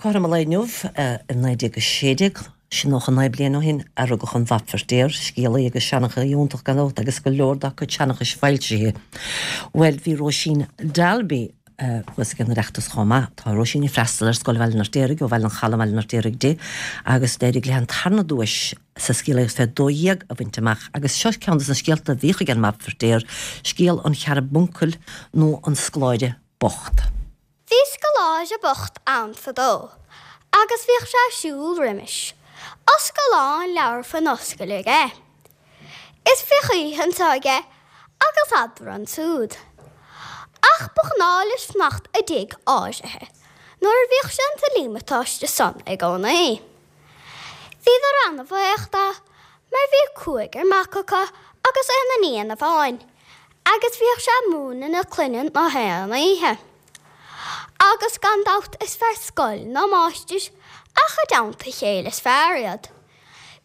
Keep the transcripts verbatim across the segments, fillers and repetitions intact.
Cothrom an lae inniu i naoi déag a sé déag, sin nócha naoi bliain ó shin, a rugadh an Mhap Feirtéar, scéalaí agus seanchaí iontach gan dabht agus go leor dá cuid seanchais foilsithe. Bhuel, bhí Róisín Dalby thuas ag an Oireachtas chomh maith. Tá Róisín ag freastal ar Scoil Bhaile an Fheirtéaraigh, ó Bhaile an Chalaidh i mBaile an Fheirtéaraigh di, agus d'éirigh léi an tarna duais sa scéalaíocht fé dó dhéag a bhaint amach. Agus seo ceann de na scéalta a bhíodh ag an Mhap Feirtéar, scéal an Charbuncail nó an Scoláire Bocht. Bhí scoláire bocht ann fadó agus bhíodh sé ag siúl roimis, oscail lán leabhar faoin oscail aige. Is bhíodh oíche anso aige agus eadarthu ansúd. Ach ba ghnáth leis fanacht i dtigh áirithe nuair a bhíodh sé insa líomatáiste san i gcónaí. Bhíodar ana-bhuíoch de mar bhí cúigear mac acu agus aon iníon amháin agus bhíodh sé ag múineadh na clainne na haon oíche. Agus gan dabht is fearr scoil ná máistir, ach i dteannta a chéile is fearr iad.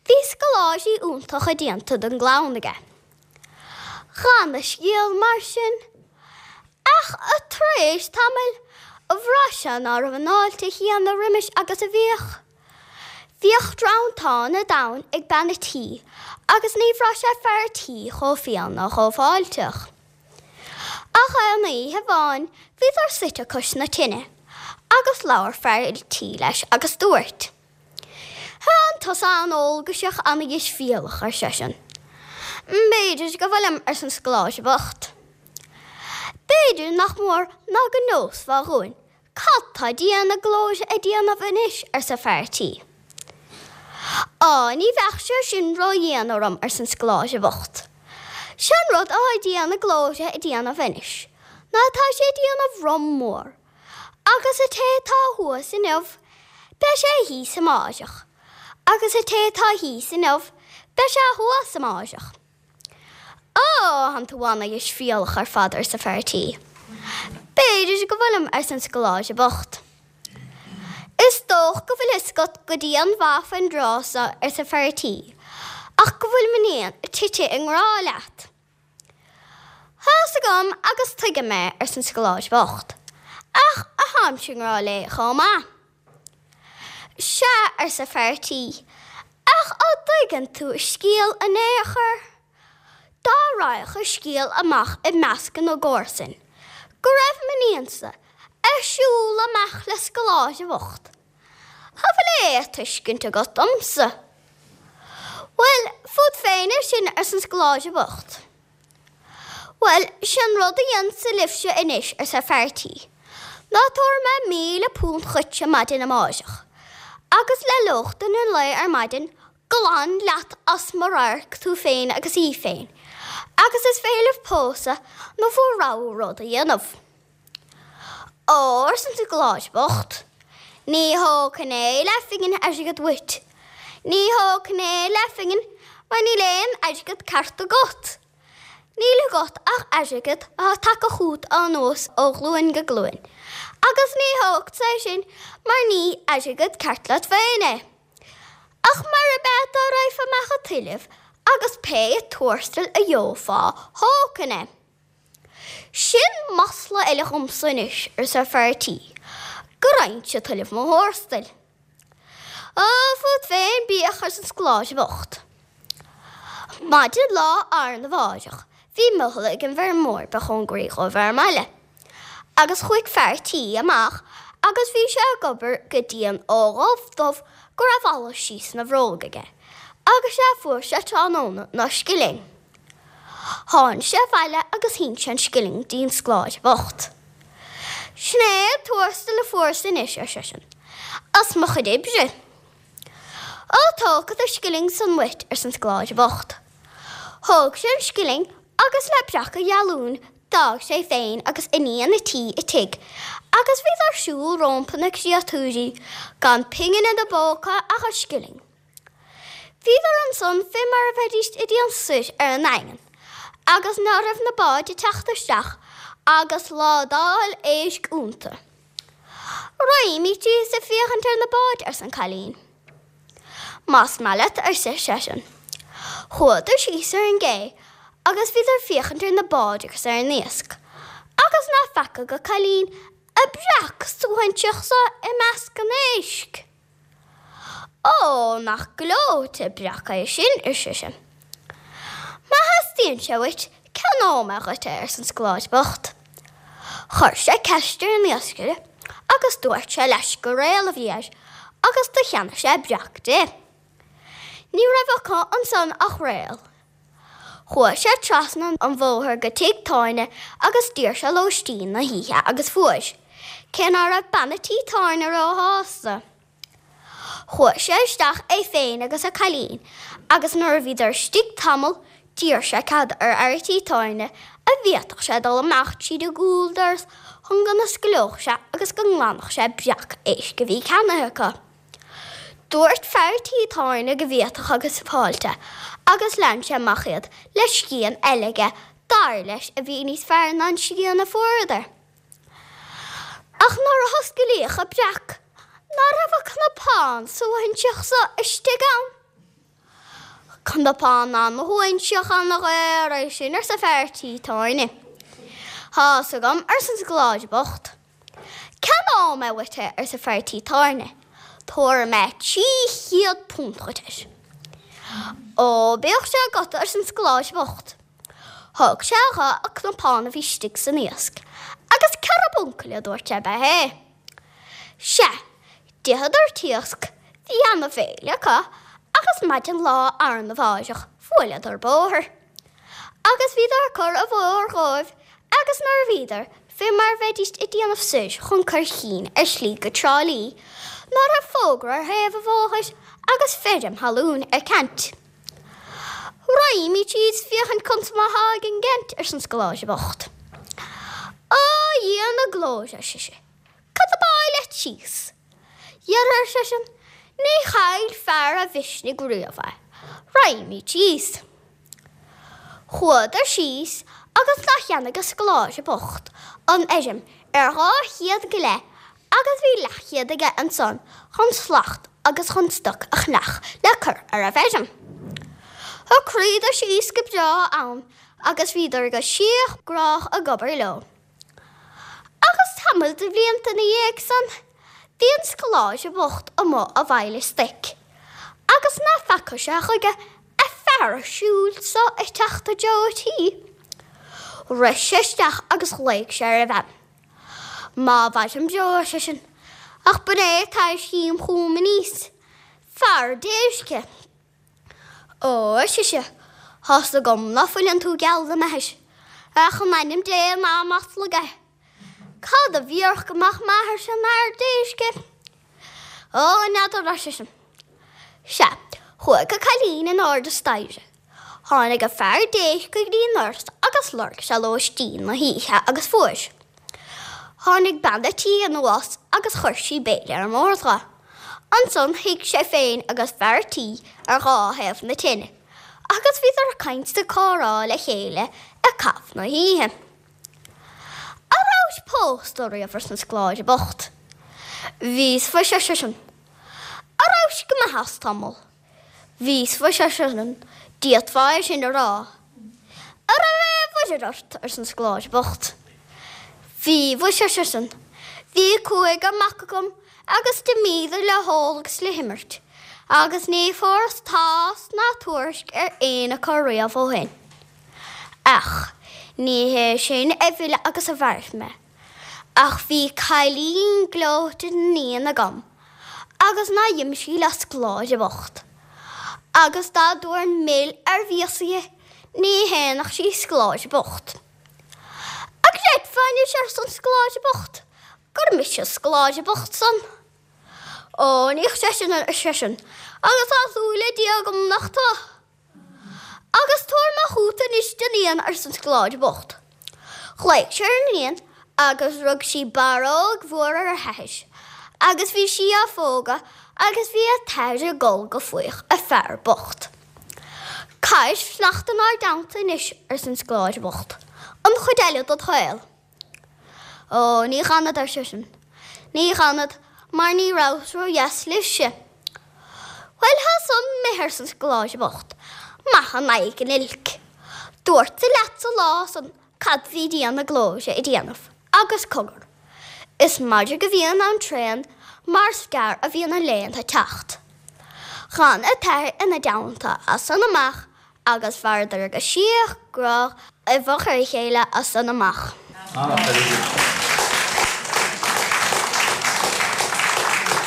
Bhí scoláirí iontacha déanta den gclann aige. Chan a scéal mar sin. Ach tar éis tamaill, bhraith sé ná raibh an fháilte chéanna roimis agus a bhíodh. Bhíodh drantán an domhain ag bean a' tí agus ní bhraith sé fear a' tí chomh fial ná chomh fáilteach. Ach aon oíche amháin bhíodar suite cois na tine agus labhair fear an tí leis agus dúirt, Thánn tusa an-eolgaiseach an-deisbhéalach, ar seisean. B'fhéidir go bhfuilim, arsa an scoláire bocht. B'fhéidir nach mór ná go neosfá dhúinn cad tá Dia na Glóire ag déanamh anois, arsa fear an tí. Á, ní bheadh sé sin ró-dhian orm, arsa an scoláire bocht. Sé'n rud athá Dia na Glóire ag déanamh anois ná tá sé ag déanamh rum mór, agus an té atá thuas inniu, beidh sé thíos amáireach, agus an té atá thíos inniu, beidh sé thuas amáireach. Ó, thánn tú ana-dheisbhéalach ar fad, arsa fear a' tí. B'fhéidir go bhfuilim, arsa an scoláire bocht. Is dócha go bhfuil fhios agat go dian-mhaith faoin dtráth so, arsa fear a' tí, ach go bhfuil m'iníon tite i ngrá leat. Tá's agam agus tuigim é, arsa an scoláire bocht, ach tháimse i ngrá léi chomh maith. Sea, arsa fear a' tí, ach á dtuigeann tú a scéal in aon chor? Dá raghadh an scéal amach i measc na gcomharsan go raibh m'iníonsa ag siúl amach le scoláire bocht, An bhfuil aon tuiscint agat domsa? Bhuel, fút féin é sin, arsa an scoláire bocht. Bhuel, sé'n rud a dhéanfadsa libhse anois, arsa fear a' tí, ná tabharfaidh mé míle punt dhuitse maidin amáireach, agus le lóchtann an lae ar maidin, glan leat as mo radharc tú féin agus í féin, agus is féidir libh pósadh nó bhur rogha rud a dhéanamh. Ó, arsa an scoláire bocht, ní thógfainn aon leathphingin airgid uait. Ní thógfainn aon leathphingin mar níl aon airgead ceart agat. Níl agat ach airgead atá tagtha chugat anuas ó ghlúin go glúin, agus ní thógfadsa é sin mar ní airgead ceart leat féin é. Ach murab ea dá raghfá amach ag tuilleamh agus pé tuarastal a gheofá, thógfainn é. Sin masla eile dhomsa anois, arsa fear a' tí, go raghainnse ag tuilleamh mo thuarastail. Ó, fút féin bíodh, arsa an scoláire bocht. Maidin lá arna mháireach bhí mothall ag an bhfeirmeoir ba chóngaraí dhóibh ar an mbaile, agus chuaigh fear a' tí amach agus bhí sé ag obair go dian ó dhubh dubh go raibh allas síos ina bhróg aige, agus sé a fuair sé tráthnóna ná scilling. Tháinig sé abhaile agus shín sé an scilling dtí'n scoláire bocht. Sin é an tuarastal a fuaireas anois, ar seisean, as mo chuid oibre. Ó tógfad an scilling san uait, arsa an scoláire bocht. Thóg sé an scilling agus le breacadh gealúin d'fhág sé féin agus iníon a' tí a' tigh agus bhíodar ag siúl rómpa na créatúirí gan pingin ina bpóca ach an scilling. Bhíodar ansan fé mar a bheidíst ag déanamh soir ar an nDaingean agus ná raibh na báid ag teacht isteach agus ládáil éisc iontu. Raghaimíd síos ag féachaint ar na báid, arsa an cailín. Más maith leat, arsa seisean. Chuadar síos ar an gcé agus bhíodar ag féachaint ar na báid agus ar an iasc agus ná feaca go cailín A' breac suaithinseach so i measc an éisc? Ó, nach gleoite breac é sin, ar sise. Má theastaíonn sé uait, ceannóidh mé dhuit é, arsa an scoláire bocht. Chuir sé ceist ar an iascaire agus dúirt sé leis gur réal a bhí air agus do cheannaigh sé breac di. Ní raibh acu ansan ach réal. Chuaigh sé trasna an bhóthair go tigh tábhairne agus d'iarr sé lóistín na hoíche agus fuair, cé ná raibh bean a' tí tábhairne róshásta. Chuaigh sé isteach é féin agus a cailín agus nuair a bhíodar istigh tamall d'iarr sé cead ar fhear a' tí tábhairne a' bhféadfadh sé dul amach tríd an gcúldoras chun go n-osclódh sé agus go nglanfadh sé breac éisc a bhí ceannaithe acu. Dúirt fear a' tí tábhairne go bhféadfadh agus fáilte agus lean sé amach iad le scian eile aige dar leis a bhí níos fearr ná an scian a fuaireadar. Ach nuair a hosclaíodh an breac, ná raibh an cnapán suaithinseach so istigh ann? Cnapán ana-shuaithinseach ana-dhaor é sin, arsa fear tí tábhairne. Tá's agam, arsa an scoláire bocht. Ceannóidh mé uait é, arsa fear tí tábhairne. Tabharfaidh mé trí chéad punt dhuit air. Ó, bíodh sé agat, arsa an scoláire bocht. Thug sé dho an cnapán a bhí istigh san iasc, agus carbuncail a dúirt sé ab ea é. Sea, d'itheadar an t-iasc, bhí ana-bhéile acu, agus maidin lá arna mháireach bhuaileadar bóthar. Agus bhíodar ag cur an bhóthair dhóibh agus nuair a bhíodar fé mar a bheidíst ag déanamh soir chun Corr Chinn ar shlí go Trá Lí, ná raibh fógra ar thaobh an bhóthair agus feirm thalún ar ceant. Raghaimid síos féachaint conas mar atá ag an gceant, arsa an scoláire bocht. Á, a Dhia na glóire, ar sise, cad ab áil leat síos? Dhera, ar seisean, ní chaill fear a mhisnigh riamh é. Raghaimid síos. Chuadar síos agus do cheannaigh an scoláire bocht an fheirm ar dhá chéad go leith agus bhí leathchéad aige ansan chun slacht agus chun stoc a cheannach le cur ar an bhfeirm. Shocraíodar síos go breá ann agus bhíodar go síothghrách ag obair leo. Agus tamall de bhlianta ina dhiaidh san, bhí an scoláire bocht amuigh a' bhaile stoic, agus ná feaca sé chuige a' fear a' siúl so ag teacht i dtreo a' tí. Rith sé isteach agus ghlaoigh sé ar a bhean. Má mhairim beo, ar seisean, ach b'in é atá ar chéim chugam aníos, fear déirce. Ó, ar sise, tá's agam ná fuileann tú geall le m'athair, ach in ainm Dé ná maslaigh é. Cad a bhéarfadh go mbeadh m'athairse ina fhear déirce? Ó, n'fheadar, ar seisean. Sea, chuaigh an cailín in airde staighre. Tháinig an fear déirce go dtí an doras agus lorg sé lóistín na hoíche agus fuair. Tháinig bean a' tí anuas agus chuir sí béile ar an mbord dho. Ansan shuigh sé féin agus fear a' tí ar dhá thaobh na tine agus bhíodar ag caint 's ag comhrá le chéile ag caitheamh na hoíche. A rabhais pósta riamh arsa an scoláire bocht. Bhíos mhuise ar seisean. A rabhais go maith as tamall. Bhíos mhuise ar seisean, d'fhéadfá é sin a rá. A raibh aon mhuirear ort, arsa an scoláire bocht. Bhí mhuise ar seisean, bhí cúigear mac agam agus d'imíodar le hól agus le himirt, agus ní fuaireas tásc ná tuairisc ar aon acu riamh ó shin. Ach ní hé sin a mhill agus a mharaigh mé. Ach bhí cailín gleoite d'iníon agam agus ná d'imigh sí le scoláire bocht. Agus dá dtabharfainn mil ar mhias di, ní shéanfadh sí scoláire bocht. An gcreidfeá anois, arsa an scoláire bocht, gur mise an scoláire bocht san? Ó, ní chreidfinn, ar seisean, agus tá súil ag Dia agam nach tú. Agus tabhair amach chút anois d'iníon, arsa an scoláire bocht. Ghlaoigh sé ar an iníon agus rug sí barróg mhór ar a hathair, agus bhí sí á phógadh agus bhí an t-athair ag gol go fuíoch a fear bocht. Caithfidh fanacht inár dteannta anois, arsa an scoláire bocht, an chuid eile dod shaol. Ó, ní fhanfad, ar seisean. Ní fhanfad, mar ní rabhas ró-dheas libhse. Bhuel, tá san imithe, arsa an scoláire bocht, maith in aghaidh an oilc. Dúrtsa leatsa lá san cad bhí Dia na Glóire ag déanamh, agus cogar. Is madra go bhíonn ann tréan mar is gearr a bhíonn na laethanta ag teacht. Chan an t-athair ina dteannta as san amach agus mhaireadar go síoch grách i bhfochair a chéile as san amach.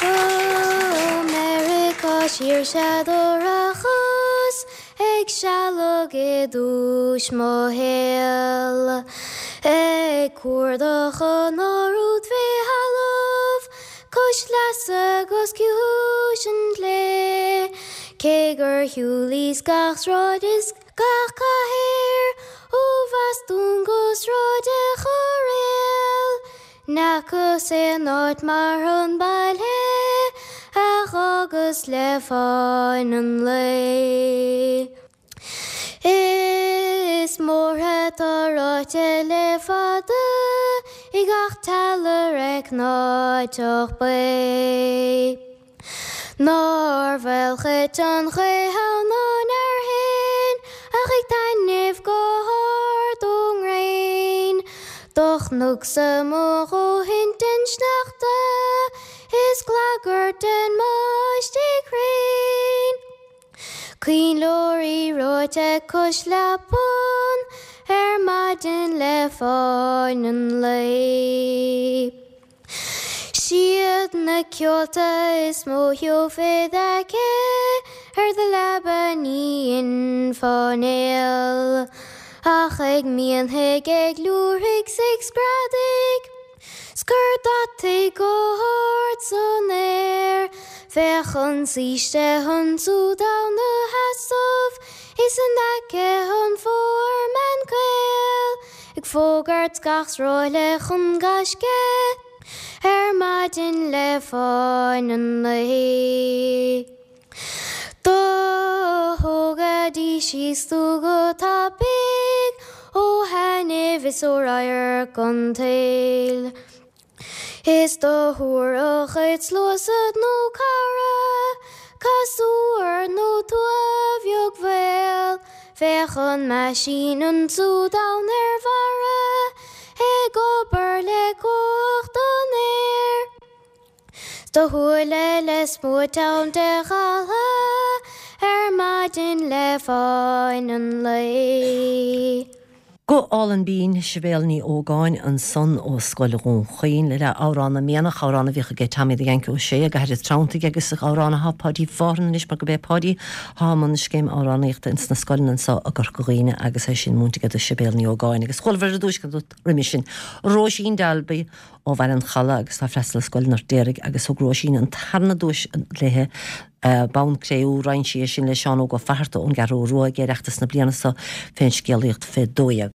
Ó Meiriceá siar sea do rachas ag sealg i dtús mo shaoil, ag cuardach an árút fé thalamh cois leasa 'gus ciumhais an tslé. Cé gur shiúlaíos gach sráid is gach cathair ó Bhostún go Sráid a' Chairéil, N'fheacas aon áit mar an baile a dh'fhágas le fáin an lae. Is mórtha atá ráite le fada i gach teallach cnáiteach baoth. Nár mhaolchait an ghaoth ann ná an fhearthainn ach ag taitneamh go hard ón ngréin. Do chonacsa mo dhóthain den sneachta is clagair den mbáistigh thréan. Coinnleoirí reoite cois leapan ar maidin le fáin an lae. Siad na ceolta is mó gheofá id aice ar do leaba ní dhéanfá néal, ach ag mianfaidh, ag liúirfidh 's ag screadaigh, 's cur deataigh go hard san aer. Bheadh an saoiste ansúd ann 'na sheasamh is in aice an foreman caol ag fógairt gach sráile chun gaisce ar maidin le fáin an lae. Do thógaidís síos tú go tapaidh ó thaitneamh is ó radharc an tsaoil. Is do thabharfadh id sluasaid nó cara casúr nó tua bheag mhaol, bheadh an meaisín ansúd ann ar bharra ag obair le cumhacht an aeir. 'S do shúile le smúit ann de ghaltha ar maidin le fáin an lae. Guth álainn binn Sibéal Ní Ógáin ansan ó Scoil Dhún Chaoin le Amhrán na Mianach, amhrán a bhíodh aige Tommy the Yank Ó Sé ag Aire Treanntaigh agus amhrán atá Páidí Mhárthain anois mar gurb é Páidí atá i mbun na scéime amhránaíochta ins na scoileanna anseo i gCorca Dhuibhne agus é sin múinte aige do Sibéal Ní Ógáin agus chualamar ar dtúis roimhe sin Róisín Dalby ó Bhaile an Chalaidh agus tá freastal ar Scoil an Fheirtéaraigh agus thug Róisín an tarna duais léithe bonn cré-umha roinn sí é sin le Seán Óg Ó Fatharta ón gCeathrú Rua ag Oireachtas na bliana seo fén scéalaíocht fé dó dhéag.